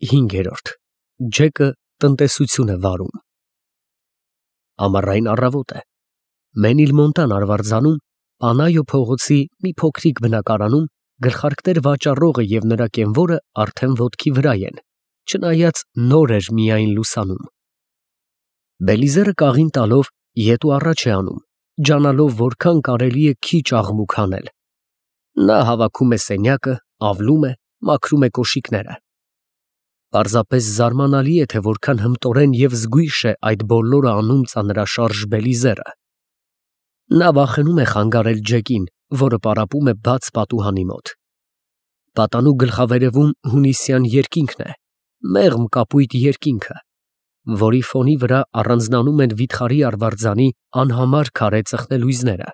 5. Ջեկը տնտեսություն է վարում։ Ամառային առավոտ է։ Մենիլմոնտան արվարձանում, Պանայո փողոցի մի փոքրիկ բնակարանում գլխարկներ վաճառողը և նրա կենվորը արդեն ոտքի վրա են, չնայած նոր էր միայն լուսանում։ Բելիզերը կաղին տալով ետ ու առաջ է անում, ջանալով որքան կարելի է քիչ աղմուկ հանել։ Նա հավաքում է սենյակը, ավլում է, մաքրում է կոշիկները։ Պարզապես զարմանալի է, թե որքան հմտորեն և զգույշ է այդ բոլորը անում ծանրաշարժ Բելիզերը։ Նա վախենում է խանգարել Ջեկին, որը պարապում է բաց պատուհանի մոտ։ Պատանու գլխավերևում հունիսյան երկինքն է, մեղմ կապույտ երկինքը, որի ֆոնի վրա առանձնանում են վիթխարի արվարձանի անհամար քարե ծխնելույզները։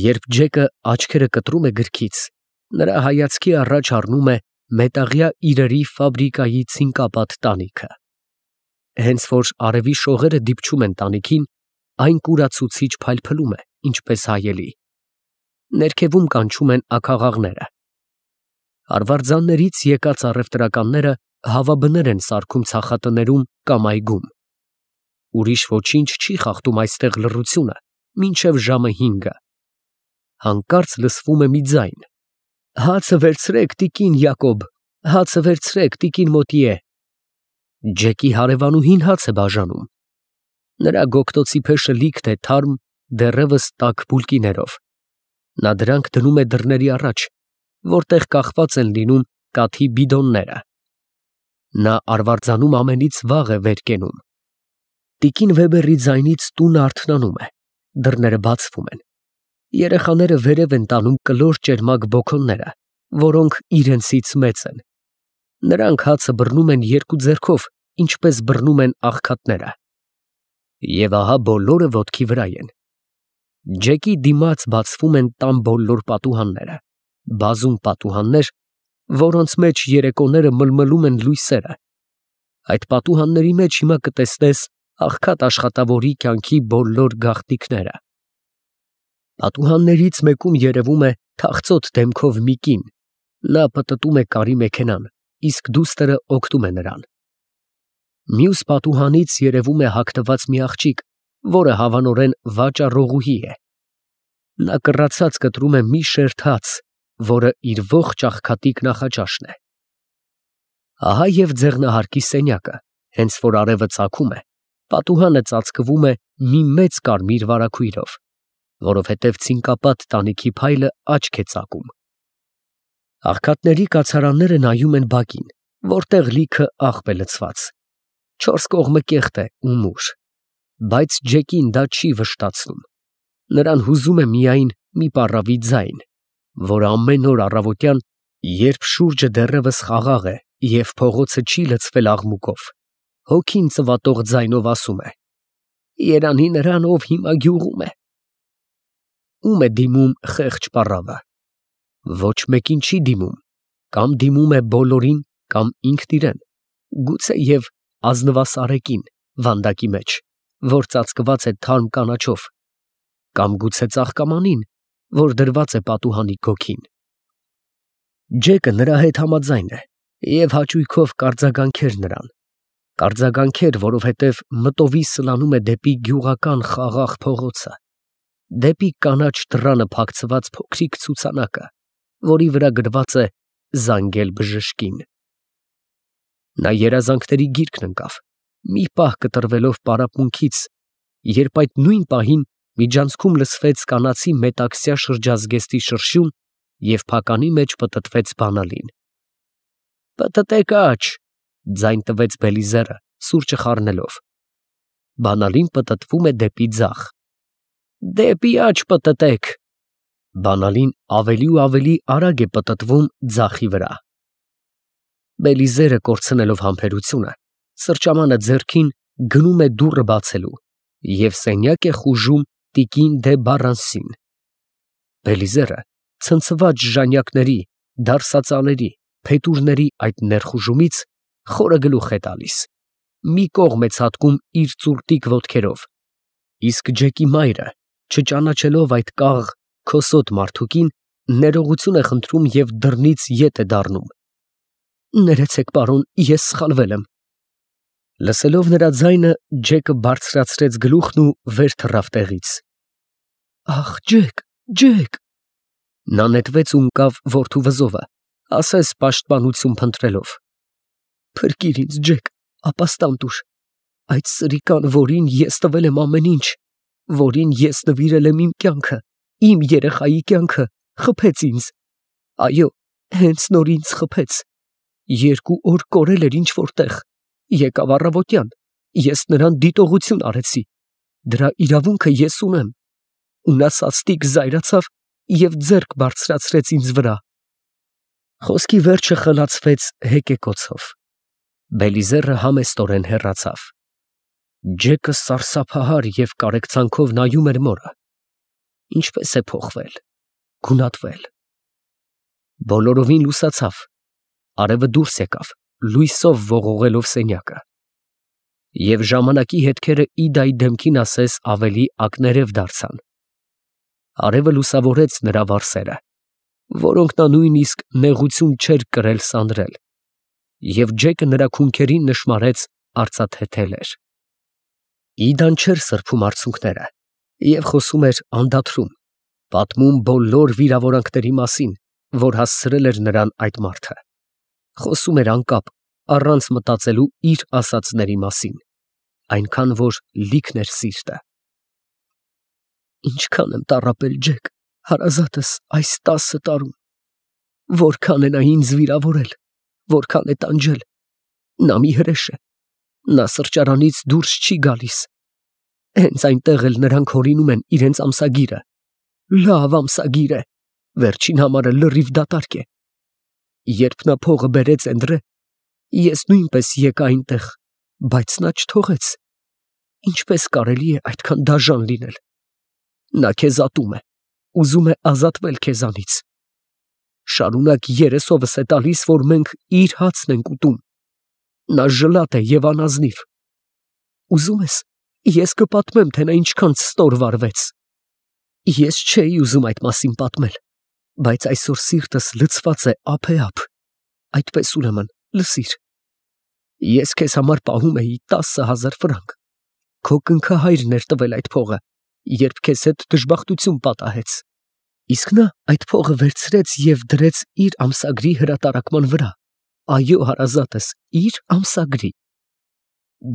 Երբ Ջեկը աչքերը կտրում է գրքից, նրա հայացքի առաջ առնում է մետաղյա իրերի ֆաբրիկայի ցինկապատ տանիքը։ Հենց որ արևի շողերը դիպչում են տանիքին, այն կուրացուցիչ փայլփլում է, ինչպես հայելի։ Ներքևում կանչում են աքաղաղները։ Արվարձաններից եկած առևտրականները հավաբներ են սարքում ցախատներում կամ այգում։ Ուրիշ ոչինչ չի խախտում այստեղ լռությունը մինչև ժամը 5-ը։ Հանկարծ լսվում է մի ձայն. «Հացը վերցրեք, տիկին Յակոբ, հացը վերցրեք, տիկին Մոտիե»։ Ջեկի հարևանուհին հաց է բաժանում։ Նրա գոգտոցի փեշը լիքն է թարմ, դեռևս տաք բուլկիներով։ Նա դրանք դնում է դռների առաջ, որտեղ կախված են լինում կաթի բիդոնները։ Նա արվարձանում ամենից վաղ է վեր կենում։ Տիկին Վեբերի ձայնից տունը արթնանում է, դռները բացվում են։ Երեխաները վերև են տանում կլոր ճերմակ բոքոնները, որոնք իրենցից մեծ են։ Նրանք հացը բռնում են երկու ձեռքով, ինչպես բռնում են աղքատները։ Եվ ահա բոլորը ոտքի վրա են։ Ջեկի դիմաց բացվում են տան բոլոր պատուհանները, բազում պատուհաններ, որոնց մեջ երեկոները մլմլում են լույսերը։ Այդ պատուհանների մեջ հիմա կտեսնես աղքատ աշխատավորի կյանքի բոլոր գաղտնիքները։ Պատուհաններից մեկում երևում է թախծոտ դեմքով մի կին։ Նա պտտում է կարի մեքենան, իսկ դուստրը օգնում է նրան։ Մյուս պատուհանից երևում է հագնված մի աղջիկ, որը հավանորեն վաճառողուհի է։ Նա կռացած կտրում է մի շերտ հաց, որը իր ողջ աղքատիկ նախաճաշն է։ Ահա և ձեղնահարկի սենյակը, հենց որ արևը ծագում է, պատուհանը ծածկվում է մի մեծ կարմիր վարագույրով, որովհետև ցինկապատ տանիքի փայլը աչք է ծակում։ Աղքատների կացարանները նայում են բակին, որտեղ լիքը աղբ է լցված։ 4 կողմը կեղտ է ու մուր, բայց Ջեկին դա չի վշտացնում։ Նրան հուզում է միայն մի պառավի ձայն, որը ամեն օր առավոտյան, երբ շուրջը դեռևս խաղաղ է և փողոցը չի լցվել աղմուկով, հոգին ծվատող ձայնով ասում է. «Երանի նրան, ով հիմա գյուղում է»։ Ում է դիմում խեղճ պառավը։ Ոչ մեկին չի դիմում, կամ դիմում է բոլորին, կամ ինքն իրեն, գուցեև ազնվասարեկին վանդակի մեջ, որ ծածկված է թարմ կանաչով, կամ գուցե ծաղկամանին, որ դրված է պատուհանի գոգին։ Ջեկը նրա հետ համաձայն է և հաճույքով կարձագանքեր նրան։ Կարձագանքեր, որովհետև մտովի սլանում է դեպի գյուղական խաղաղ փողոցը, դեպի կանաչ դռանը փակցված փոքրիկ ցուցանակը, որի վրա գրված է «Զանգել բժշկին»։ Նա երազանքների գիրկն ընկավ, մի պահ կտրվելով պարապմունքից, երբ այդ նույն պահին միջանցքում լսվեց կանացի մետաքսյա շրջազգեստի շրշյուն և փականի մեջ պտտվեց բանալին։ «Պտտեք աջ», ձայն տվեց Բելիզերը, սուրճը խառնելով։ Բանալին պտտվում է դեպի ձախ։ «Դեպի աջ պտտեք»։ Բանալին ավելի ու ավելի արագ է պտտվում ձախի վրա։ Բելիզերը կորցնելով համբերությունը, սրճամանը ձեռքին գնում է դուռը բացելու և սենյակ է խուժում տիկին դե Բառանսին։ Բելիզերը ցնցված ժանյակների, դարսածաների, փետուրների այդ ներխուժումից խորը գլուխ է տալիս, մի կողմ է ցատկում իր ծուրտիկ ոտքերով, իսկ Ջեկի մայրը, չճանաչելով այդ կաղ, քոսոտ մարդուկին, ներողություն է խնդրում և դռնից ետ է դառնում։ Ներեցեք, պարոն, ես սխալվել եմ։ Լսելով նրա ձայնը, Ջեկը բարձրացրեց գլուխն ու վեր թռավ տեղից։ Ախ, Ջեք։ Նա նետվեց ու ընկավ որդու վզովը, ասես պաշտպանություն փնտրելով։ Փրկիր ինձ, Ջեք, ապաստան տուր։ Այդ սրիկան, որին ես տվել եմ ամեն ինչ, որին ես նվիրել եմ իմ կյանքը, իմ երեխայի կյանքը, խփեց ինձ։ Այո, հենց նոր ինձ խփեց։ 2 օր կորել էր ինչ-որ տեղ։ Եկավ առավոտյան, ես նրան դիտողություն արեցի։ Դրա իրավունքը ես ունեմ։ Ու նա սաստիկ զայրացավ և ձեռք բարձրացրեց ինձ վրա։ Խոսքի վերջը խլացվեց հեկեկոցով։ Բելիզերը համեստորեն հեռացավ։ Ջեկը սարսափահար և կարեկցանքով նայում էր մորը։ Ինչպես է փոխվել, գունատվել։ Բոլորովին լուսացավ։ Արևը դուրս եկավ, լույսով ողողելով սենյակը։ Եվ ժամանակի հետքերը Իդայի դեմքին ասես ավելի ակներև դարձան։ Արևը լուսավորեց նրա վարսերը, որոնք նա նույնիսկ նեղություն չէր կրել սանրել, և Ջեկը նրա քունքերին նշմարեց արծաթեթեր։ Իդան չէր սրբում արցունքները և խոսում էր անդադրում, պատմում բոլոր վիրավորանքների մասին, որ հասցրել էր նրան այդ մարդը։ Խոսում էր անկապ, առանց մտածելու իր ասածների մասին, այնքան որ լիքն էր սիրտը։ Ինչքան եմ տառապել, Ջեք, հարազատս, այս 10 տարում։ Որքան է նա ինձ վիրավորել, որքան է տանջել։ Նա մի հրեշ է։ Նա սրճարանից դուրս չի գալիս։ Հենց այնտեղ էլ նրանք հորինում են իրենց ամսագիրը։ Լավ ամսագիր է, վերջին համարը լրիվ դատարկ է։ Երբ նա փողը բերեց Էնդրե, ես նույնպես եկա այնտեղ, բայց նա չթողեց։ Ինչպես կարելի է այդքան դաժան լինել։ Նա քեզ ատում է, ուզում է ազատվել քեզանից։ Շարունակ երեսովս է տալիս, որ մենք իր հացն ենք ուտում։ Նա ժլատ է և անազնիվ։ Ուզում ես, ես կպատմեմ, թե նա ինչքան ստոր վարվեց։ Ես չէի ուզում այդ մասին պատմել, բայց այսօր սիրտս լցված է ափեափ։ Այդպես ուրեմն, լսիր։ Ես քեզ համար պահում էի 10,000 ֆրանկ։ Քո կնքահայրն էր տվել այդ փողը, երբ քեզ հետ դժբախտություն պատահեց։ Իսկ նա այդ փողը վերցրեց և դրեց իր ամսագրի հրատարակման վրա։ Այո, հարազատս, իր ամսագրի։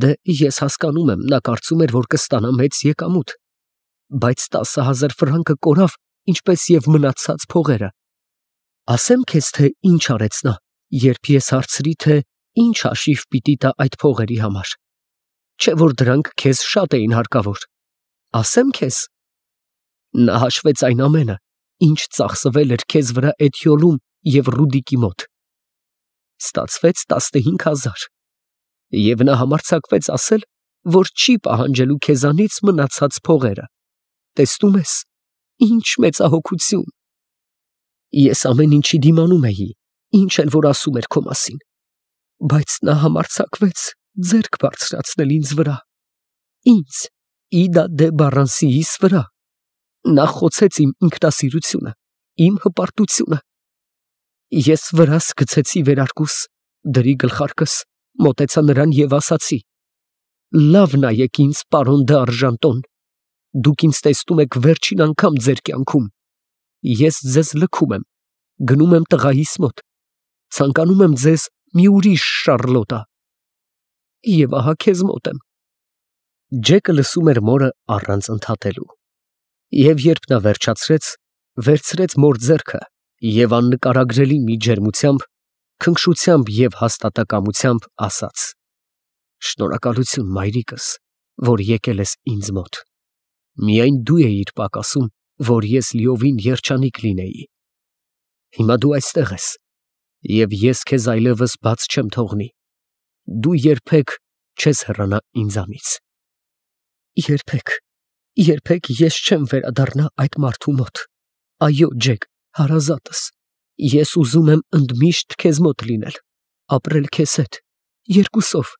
Դե ես հասկանում եմ, նա կարծում էր, որ կստանա մեծ եկամուտ, բայց 10,000 ֆրանկը կորավ, ինչպես և մնացած փողերը։ Ասեմ քեզ, թե ինչ արեց նա, երբ ես հարցրի, թե ինչ հաշիվ պիտի տա այդ փողերի համար։ Չէ՞ որ դրանք քեզ շատ էին հարկավոր։ Ասեմ քեզ։ Նա հաշվեց այն ամենը, ինչ ծախսվել էր քեզ վրա Էթիոլում և Ռուդիկի մոտ։ Ստացվեց 15,000։ Եվ նա համարձակվեց ասել, որ չի պահանջելու քեզանից մնացած փողերը։ Տեսնում ես, ինչ մեծահոգություն։ Ես ամեն ինչի դիմանում էի, ինչ էլ որ ասում էր քո մասին, բայց նա համարձակվեց ձեռք բարձրացնել ինձ վրա։ Ինձ, Իդա դե Բառանսիիս վրա։ Նա խոցեց իմ ինքնասիրությունը, իմ հպարտությունը։ Ես վրաս գցեցի վերարկուս, դրի գլխարկս, մոտեցա նրան և ասացի. լավ նայեք ինձ, պարոն դե Արժանտոն, դուք ինձ տեսնում եք վերջին անգամ ձեր կյանքում։ Ես ձեզ լքում եմ, գնում եմ տղայիս մոտ, ցանկանում եմ ձեզ մի ուրիշ Շառլոտա։ Եվ ահա քեզ մոտ եմ։ Ջեկը լսում էր մորը առանց ընդհատելու։ Եվ երբ նա վերջացրեց, վերցրեց մոր ձեռքը և աննկարագրելի մի ջերմությամբ, քնքշությամբ և հաստատակամությամբ ասաց. Շնորհակալություն, մայրիկս, որ եկել ես ինձ մոտ։ Միայն դու էիր պակասում, որ ես լիովին երջանիկ լինեի։ Հիմա դու այստեղ ես, և ես քեզ այլևս բաց չեմ թողնի։ Դու երբեք չես հեռանա ինձանից։ Երբեք ես չեմ վերադառնա այդ մարդու մոտ։ Այո, Ջեք, հարազատս, ես ուզում եմ ընդմիշտ քեզ մոտ լինել, ապրել քեզ հետ, երկուսով։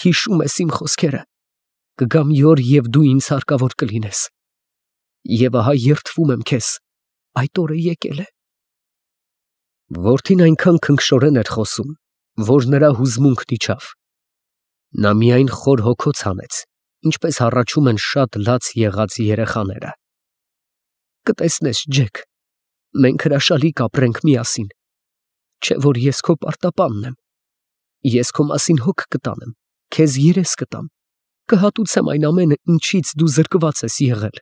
Հիշում ես իմ խոսքերը։ Կգա մի օր, և դու ինձ հարկավոր կլինես։ Եվ ահա երդվում եմ քեզ, այդ օրը եկել է։ Որդին այնքան քնքշորեն էր խոսում, որ նրա հուզմունքն իջավ։ Նա միայն խոր հոգոց հանեց, ինչպես հառաչում են շատ լաց եղած երեխաները։ Կտեսնես, Ջեք, մենք հրաշալի կապրենք միասին, չէ որ ես քո պարտապանն եմ, ես քո մասին հոգ կտանեմ, քեզ երես կտամ, կհատուցեմ այն ամենը, ինչից դու զրկված ես եղել,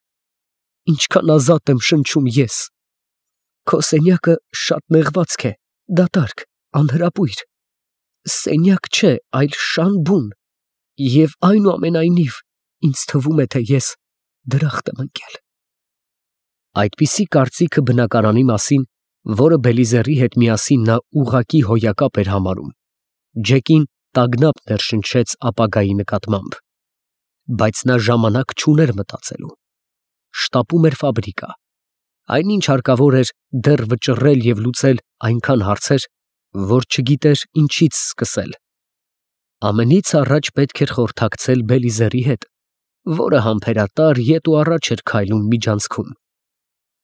ինչքան ազատ եմ շնչում ես։ Քո սենյակը շատ նեղվածք է, դատարկ, անհրապույր, սենյակ չէ, այլ շան բուն, և այնուամենայնիվ ինձ թվում է, թե ես դրախտ եմ ընկել։ Այդպիսի կարծիքը բնակարանի մասին, որը Բելիզերի հետ միասին նա ուղղակի հոյակապ էր համարում, Ջեկին տագնապ ներշնչեց ապագայի նկատմամբ, բայց նա ժամանակ չուներ մտածելու։ Շտապում էր ֆաբրիկա, այնինչ հարկավոր էր դեռ վճռել և լուծել այնքան հարցեր, որ չգիտեր ինչից սկսել։ Ամենից առաջ պետք էր խորհրդակցել Բելիզերի հետ, որը համբերատար ետ ու առաջ էր քայլում միջանցքում։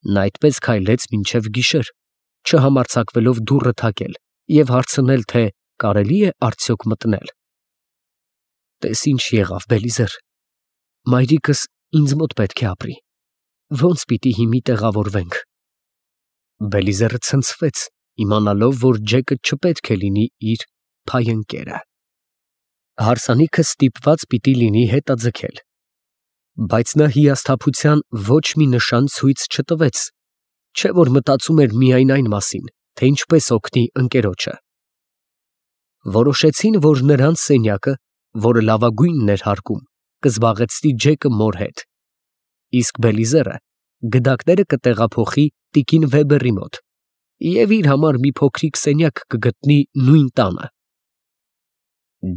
Նա այդպես քայլեց մինչև գիշեր, չհամարձակվելով դուռը թակել և հարցնել, թե կարելի է արդյոք մտնել։ Տես ինչ եղավ, Բելիզեր, մայրիկս ինձ մոտ պետք է ապրի, ո՞նց պիտի հիմի տեղավորվենք։ Բելիզերը ցնցվեց, իմանալով, որ Ջեկը չպետք է լինի իր փայընկերը։ Հարսանիքը ստիպված պիտի լինի հետաձգել, բայց նա հիասթափության ոչ մի նշան ցույց չտվեց, չէ որ մտածում էր միայն այն մասին, թե ինչպես օգնի ընկերոջը։ Որոշեցին, որ նրանց սենյակը, որը լավագույնն էր հարկում, կզբաղեցնի Ջեկը մոր հետ, իսկ Բելիզերը գդակները կտեղափոխի տիկին Վեբերի մոտ և իր համար մի փոքրիկ սենյակ կգտնի նույն տանը։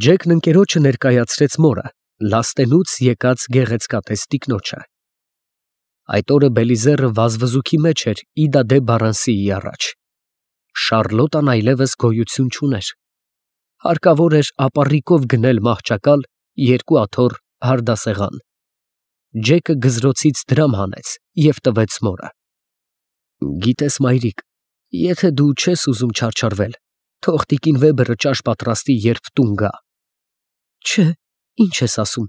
Ջեկն ընկերոջը ներկայացրեց մորը, լաստենուց եկած գեղեցկատես տիկնոջը։ Այդ օրը Բելիզերը վազվզուքի մեջ էր Իդա դե Բարանսիի առաջ։ Շառլոտան այլևս գոյություն չուներ։ Հարկավոր էր ապառիկով գնել մահճակալ, 2 աթոռ հարդասեղան։ Ջեկը գզրոցից դրամ հանեց և տվեց մորը։ Գիտես, մայրիկ, եթե դու չես ուզում չարչարվել, թող տիկին Վեբերը ճաշ պատրաստի, երբ տուն գա։ Չէ, ինչ ես ասում,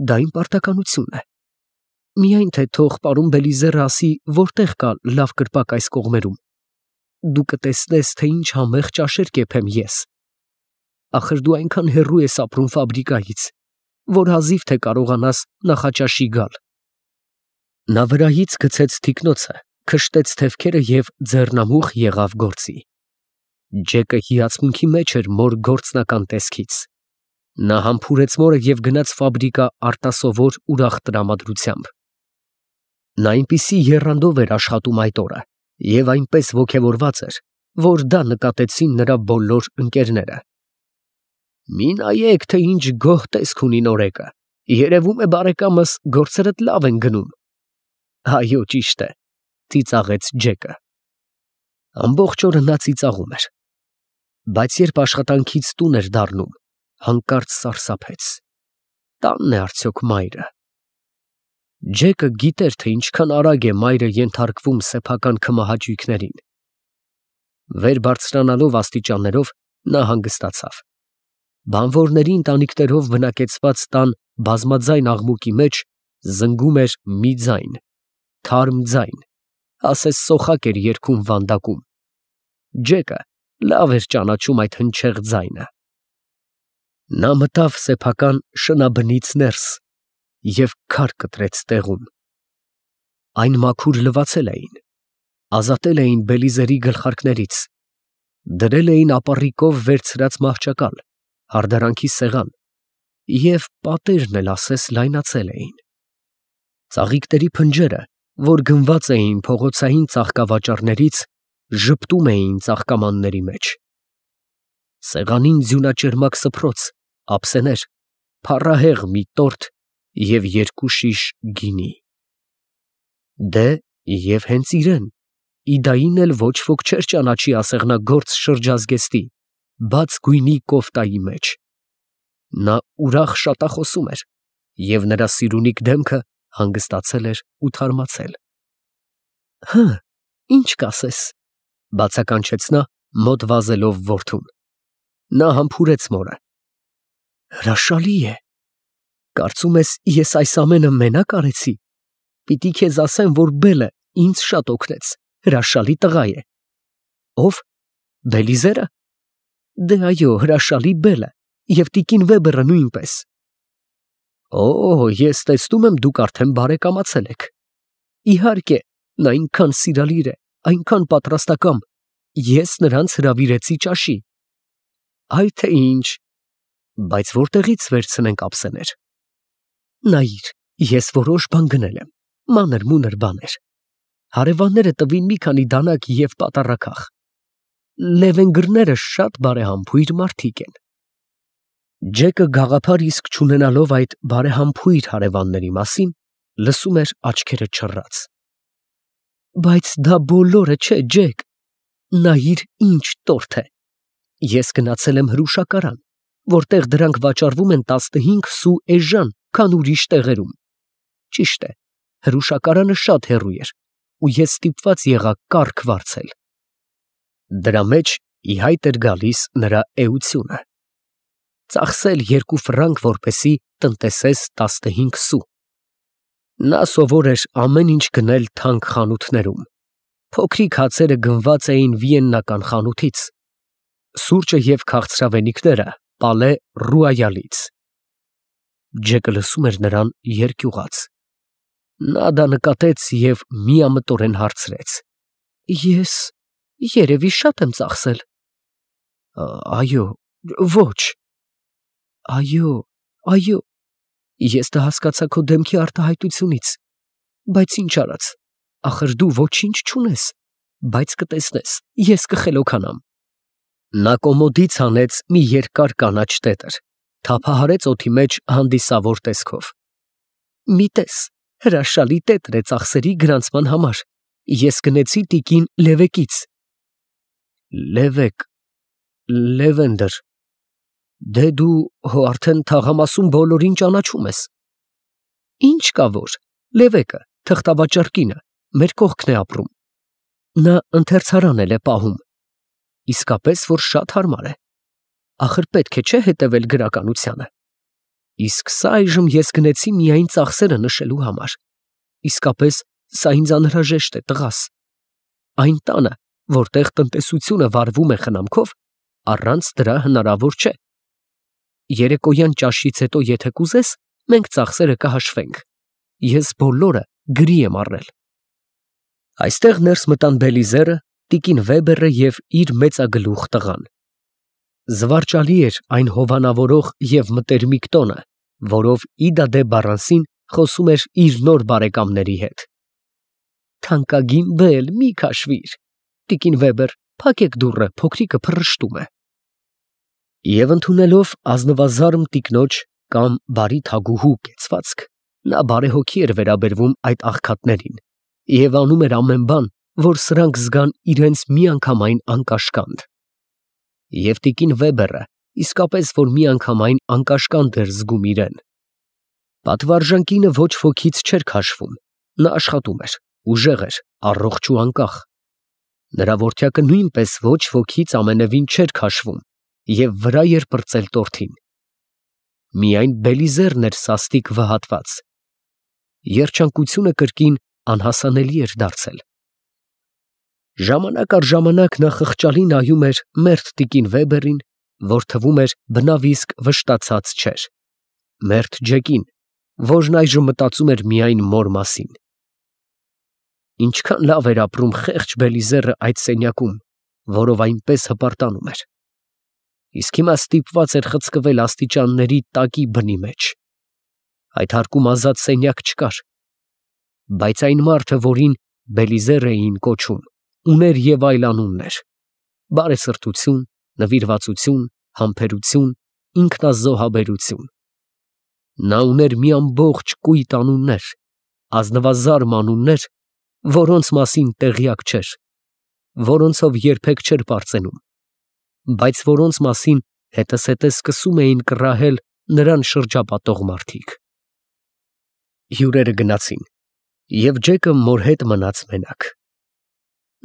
դա իմ պարտականությունն է։ Միայն թե թող պարոն Բելիզերը ասի, որտեղ կա լավ կրպակ այս կողմերում։ Դու կտեսնես, թե ինչ համեղ ճաշեր կեփեմ ես։ Ախր դու այնքան հեռու ես ապրում ֆաբրիկայից, որ հազիվ թե կարողանաս նախաճաշի գալ։ Նա վրայից գցեց թիկնոցը, քշտեց թևքերը և ձեռնամուխ եղավ գործի։ Ջեկը հիացմունքի մեջ էր մոր գործնական տեսքից։ Նա համբուրեց մորը և գնաց ֆաբրիկա արտասովոր ուրախ տրամադրությամբ։ Նա այնպիսի եռանդով էր աշխատում այդ օրը և այնպես ոգևորված էր, որ դա նկատեցին նրա բոլոր ընկերները։ Մի նայեք, թե ինչ գոհ տեսք ունի նորեկը, երևում է բարեկամս գործերդ լավ են գնում։ Այո, ճիշտ է, ծիծաղեց Ջեկը։ Ամբողջ օրը նա ծիծաղում էր, բայց երբ աշխատանքից տուն էր դառնում, հանկարծ սարսափեց։ Տանն է արդյոք մայրը։ Ջեկը գիտեր, թե ինչքան արագ է մայրը ենթարկվում սեփական քմահաճույքներին։ Վեր բարձրանալով աստիճաններով նա հանգստացավ։ Բանվորների ընտանիքներով բնակեցված տան բազմաձայն աղմուկի մեջ զնգում էր մի ձայն, թարմ ձայն, ասես սոխակ էր երգում վանդակում։ Ջեկը լավ էր ճանաչում այդ հնչեղ ձայնը։ Նա մտավ սեփական շնաբնից ներս և քար կտրեց տեղում։ Այն մաքուր լվացել էին, ազատել էին Բելիզերի գլխարկներից, դրել էին ապառիկով վերցրած մահճակալ, հարդարանքի սեղան և պատերն էլ ասես լայնացել էին։ Ծաղիկների փնջերը, որ գնված էին փողոցային ծաղկավաճառներից, ժպտում էին ծաղկամանների մեջ։ Սեղանին ձյունաճերմակ սփռոց, ափսեներ, փառահեղ մի տորթ և 2 շիշ գինի։ Դե, և հենց իրեն, Իդային էլ ոչ ոք չէր ճանաչի ասեղնագործ շրջազգեստի, բաց գույնի կոֆտայի մեջ։ Նա ուրախ շատախոսում էր, և նրա սիրունիկ դեմքը հանգստացել էր ու թարմացել։ Հը, ինչ կասես, բացականչեց նա, մոտ վազելով որդուն։ Նա համբուրեց մորը։ Հրաշալի է։ Կարծում ես, ես այս ամենը մենակ արեցի։ Պիտի քեզ ասեմ, որ Բելը ինձ շատ օգնեց, հրաշալի տղա է։ Ով։ Բելիզերը։ Դե այո, հրաշալի Բելը, և տիկին Վեբերը նույնպես։ Օ, ես տեսնում եմ, դուք արդեն բարեկամացել եք։ Իհարկե, նա այնքան սիրալիր է, այնքան պատրաստակամ, ես նրանց հրավիրեցի ճաշի։ Այ թե ինչ։ Բայց որտեղից վերցնենք ափսեներ։ Նայիր, ես որոշ բան գնել եմ, մանր-մունր բաներ։ Հարևանները տվին մի քանի դանակ և պատառաքաղ։ Լևենգրները շատ բարեհամբույր մարդիկ են։ Ջեկը գաղափար իսկ չունենալով այդ բարեհամբույր հարևանների մասին, լսում էր աչքերը չռած։ Բայց դա բոլորը չէ, Ջեք, նայիր ինչ տորթ է։ Ես գնացել եմ հրուշակարան, որտեղ դրանք վաճառվում են 15 սու էժան, քան ուրիշ տեղերում։ Ճիշտ է, հրուշակարանը շատ հեռու էր, ու ես ստիպված եղա կառք վարձել։ Դրա մեջ ի հայտ էր գալիս նրա էությունը։ Ծախսել 2 ֆրանկ, որպեսզի տնտեսես 15 սու։ Նա սովոր էր ամեն ինչ գնել թանկ խանութներում։ Փոքրիկ հացերը գնված էին վիեննական խանութից, սուրճը և քաղցրավենիքները Պալե Ռուայալից։ Ջեկը լսում էր նրան երկյուղած։ Նա դա նկատեց և միամտորեն հարցրեց. Ես երևի շատ եմ ծախսել։ Այո, ոչ։ Այո, ես դա հասկացա քո դեմքի արտահայտությունից, բայց ինչ արած, ախր դու ոչինչ չունես, բայց կտեսնես, ես կխելոքանամ։ Նա կոմոդից հանեց մի երկար կանաչ տետր, թափահարեց օդի մեջ հանդիսավոր տեսքով։ Մի տես, հրաշալի տետր է ծախսերի գրանցման համար, ես գնեցի տիկին Լևեկից։ Լևեկ, Լևենդր, դե դու հո արդեն թաղամասում բոլորին ճանաչում ես։ Ինչ կա որ, Լևեկը, թղթավաճառ կինը, մեր կողքն է ապրում։ Նա ընթերցարան էլ է պահում։ Իսկապես, որ շատ հարմար է։ Ախր պետք է չէ հետևել գրականությանը։ Իսկ սա այժմ ես գնեցի միայն ծախսերը նշելու համար։ Իսկապես, սա ինձ անհրաժեշտ է, տղաս։ Այն տանը, որտեղ տնտեսությունը վարվում է խնամքով, առանց դրա հնարավոր չէ։ Երեկոյան ճաշից հետո, եթե կուզես, մենք ծախսերը կհաշվենք։ Ես բոլորը գրի եմ առել։ Այստեղ ներս մտան Բելիզերը, տիկին Վեբերը և իր մեծագլուխ տղան։ Զվարճալի էր այն հովանավորող և մտերմիկ տոնը, որով Իդա դե Բարանսին խոսում էր իր նոր բարեկամների հետ։ Թանկագին Բել, մի քաշվիր։ Տիկին Վեբեր, փակեք դուռը, փոքրիկը փռշտում է։ Եվ ընդունելով ազնվազարմ տիկնոջ կամ բարի թագուհու կեցվածք, նա բարեհոգի էր վերաբերվում այդ աղքատներին և անում էր ամեն բան, որ սրանք զգան իրենց միանգամայն անկաշկանդ։ Եվ տիկին Վեբերը իսկապես որ միանգամայն անկաշկանդ էր զգում իրեն։ Պատվարժան կինը ոչ ոքից չէր քաշվում, նա աշխատում էր, ուժեղ էր, առողջ ու անկախ։ Նրա որդյակը նույնպես ոչ ոքից ամենևին չէր քաշվում և վրա էր պրծել տորթին։ Միայն Բելիզերն էր սաստիկ վհատված։ Երջանկությունը կրկին անհասանելի էր դարձել։ Ժամանակ առ ժամանակ նա խղճալի նայում էր մերթ տիկին Վեբերին, որ թվում էր բնավ իսկ վշտացած չէր, մերթ Ջեկին, որն այժմ մտածում էր միայն մոր մասին։ Ինչքան լավ էր ապրում խեղճ Բելիզերը այդ սենյակում, որով այնպես հպարտանում էր։ Իսկ հիմա ստիպված էր խցկվել աստիճանների տակի բնի մեջ։ Այդ հարկում ազատ սենյակ չկար։ Բայց այն մարդը, որին Բելիզեր էին կոչում, ուներ և այլ անուններ. բարեսրտություն, նվիրվածություն, համբերություն, ինքնազոհաբերություն։ Նա ուներ մի ամբողջ կույտ անուններ, ազնվազարմ անուններ, որոնց մասին տեղյակ չէր, որոնցով երբեք չէր պարծենում, բայց որոնց մասին հետզհետե սկսում էին կռահել նրան շրջապատող մարդիկ։ Հյուրերը գնացին, և Ջեկը մոր հետ մնաց մենակ։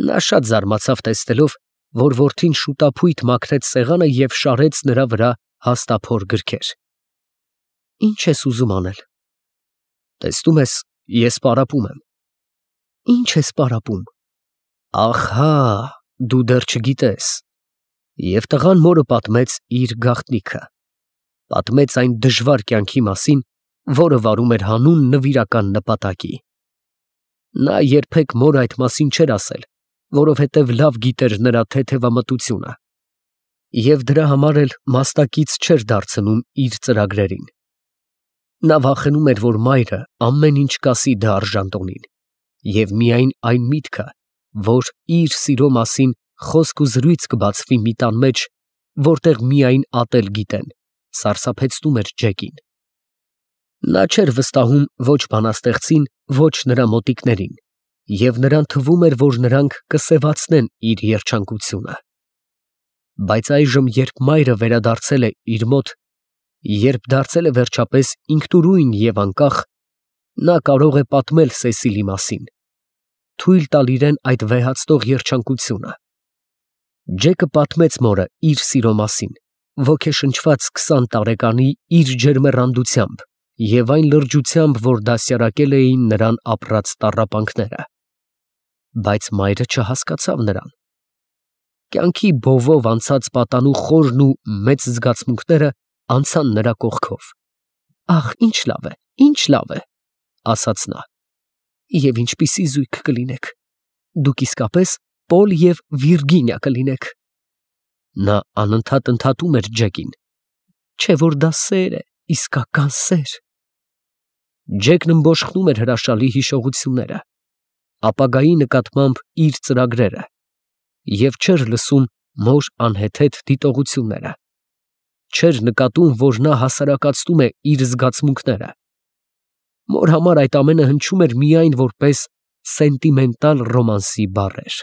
Նա շատ զարմացավ տեսնելով, որ որդին շուտափույթ մաքրեց սեղանը և շարեց նրա վրա հաստափոր գրքեր։ Ի՞նչ ես ուզում անել։ Տեսնում ես, ես պարապում եմ։ Ի՞նչ ես պարապում։ Ահա, դու դեռ չգիտես։ Եվ տղան մորը պատմեց իր գաղտնիքը։ Պատմեց այն դժվար կյանքի մասին, որը վարում էր հանուն նվիրական նպատակի։ Նա երբեք մորը այդ մասին չէր ասել, որովհետև լավ գիտեր նրա թեթևամտությունը, և դրա համար էլ մաստակից չէր դարձնում իր ծրագրերին։ Նա վախենում էր, որ մայրը ամեն ինչ կասի դա արժանտոնին, և միայն այն միտքը, որ իր սիրո մասին խոսք ու զրույց կբացվի մի տան մեջ, որտեղ միայն ատել գիտեն, սարսափեցնում էր Ջեկին։ Նա չէր վստահում ոչ բանաստեղծին, ոչ նրա մոտիկներին, և նրան թվում էր, որ նրանք կսևացնեն իր երջանկությունը։ Բայց այժմ, երբ մայրը վերադարձել է իր մոտ, երբ դարձել է վերջապես ինքնուրույն և անկախ, նա կարող է պատմել Սեսիլի մասին, թույլ տալ իրեն այդ վեհացնող երջանկությունը։ Ջեկը պատմեց մորը իր սիրո մասին, ոգեշնչված 20 տարեկանի իր ջերմեռանդությամբ և այն լրջությամբ, որ դաստիարակել էին նրան ապրած տառապանքները։ Բայց մայրը չհասկացավ նրան։ Կյանքի բովով անցած պատանու խորն ու մեծ զգացմունքները անցան նրա կողքով։ Ախ, ինչ լավ է, ինչ լավ է, ասաց նա։ Եվ ինչպիսի զույգ կլինեք։ Դուք իսկապես Պոլ և Վիրգինիա կլինեք։ Նա անընդհատ ընդհատում էր Ջեկին։ Չէ՞ որ դա սեր է, իսկական սեր։ Ջեկն ըմբոշխնում էր հրաշալի հիշողությունները, ապագայի նկատմամբ իր ծրագրերը, և չէր լսում մոր անհեթեթ դիտողությունները, չէր նկատում, որ նա հասարակացնում է իր զգացմունքները։ Մոր համար այդ ամենը հնչում էր միայն որպես սենտիմենտալ ռոմանսի բառեր։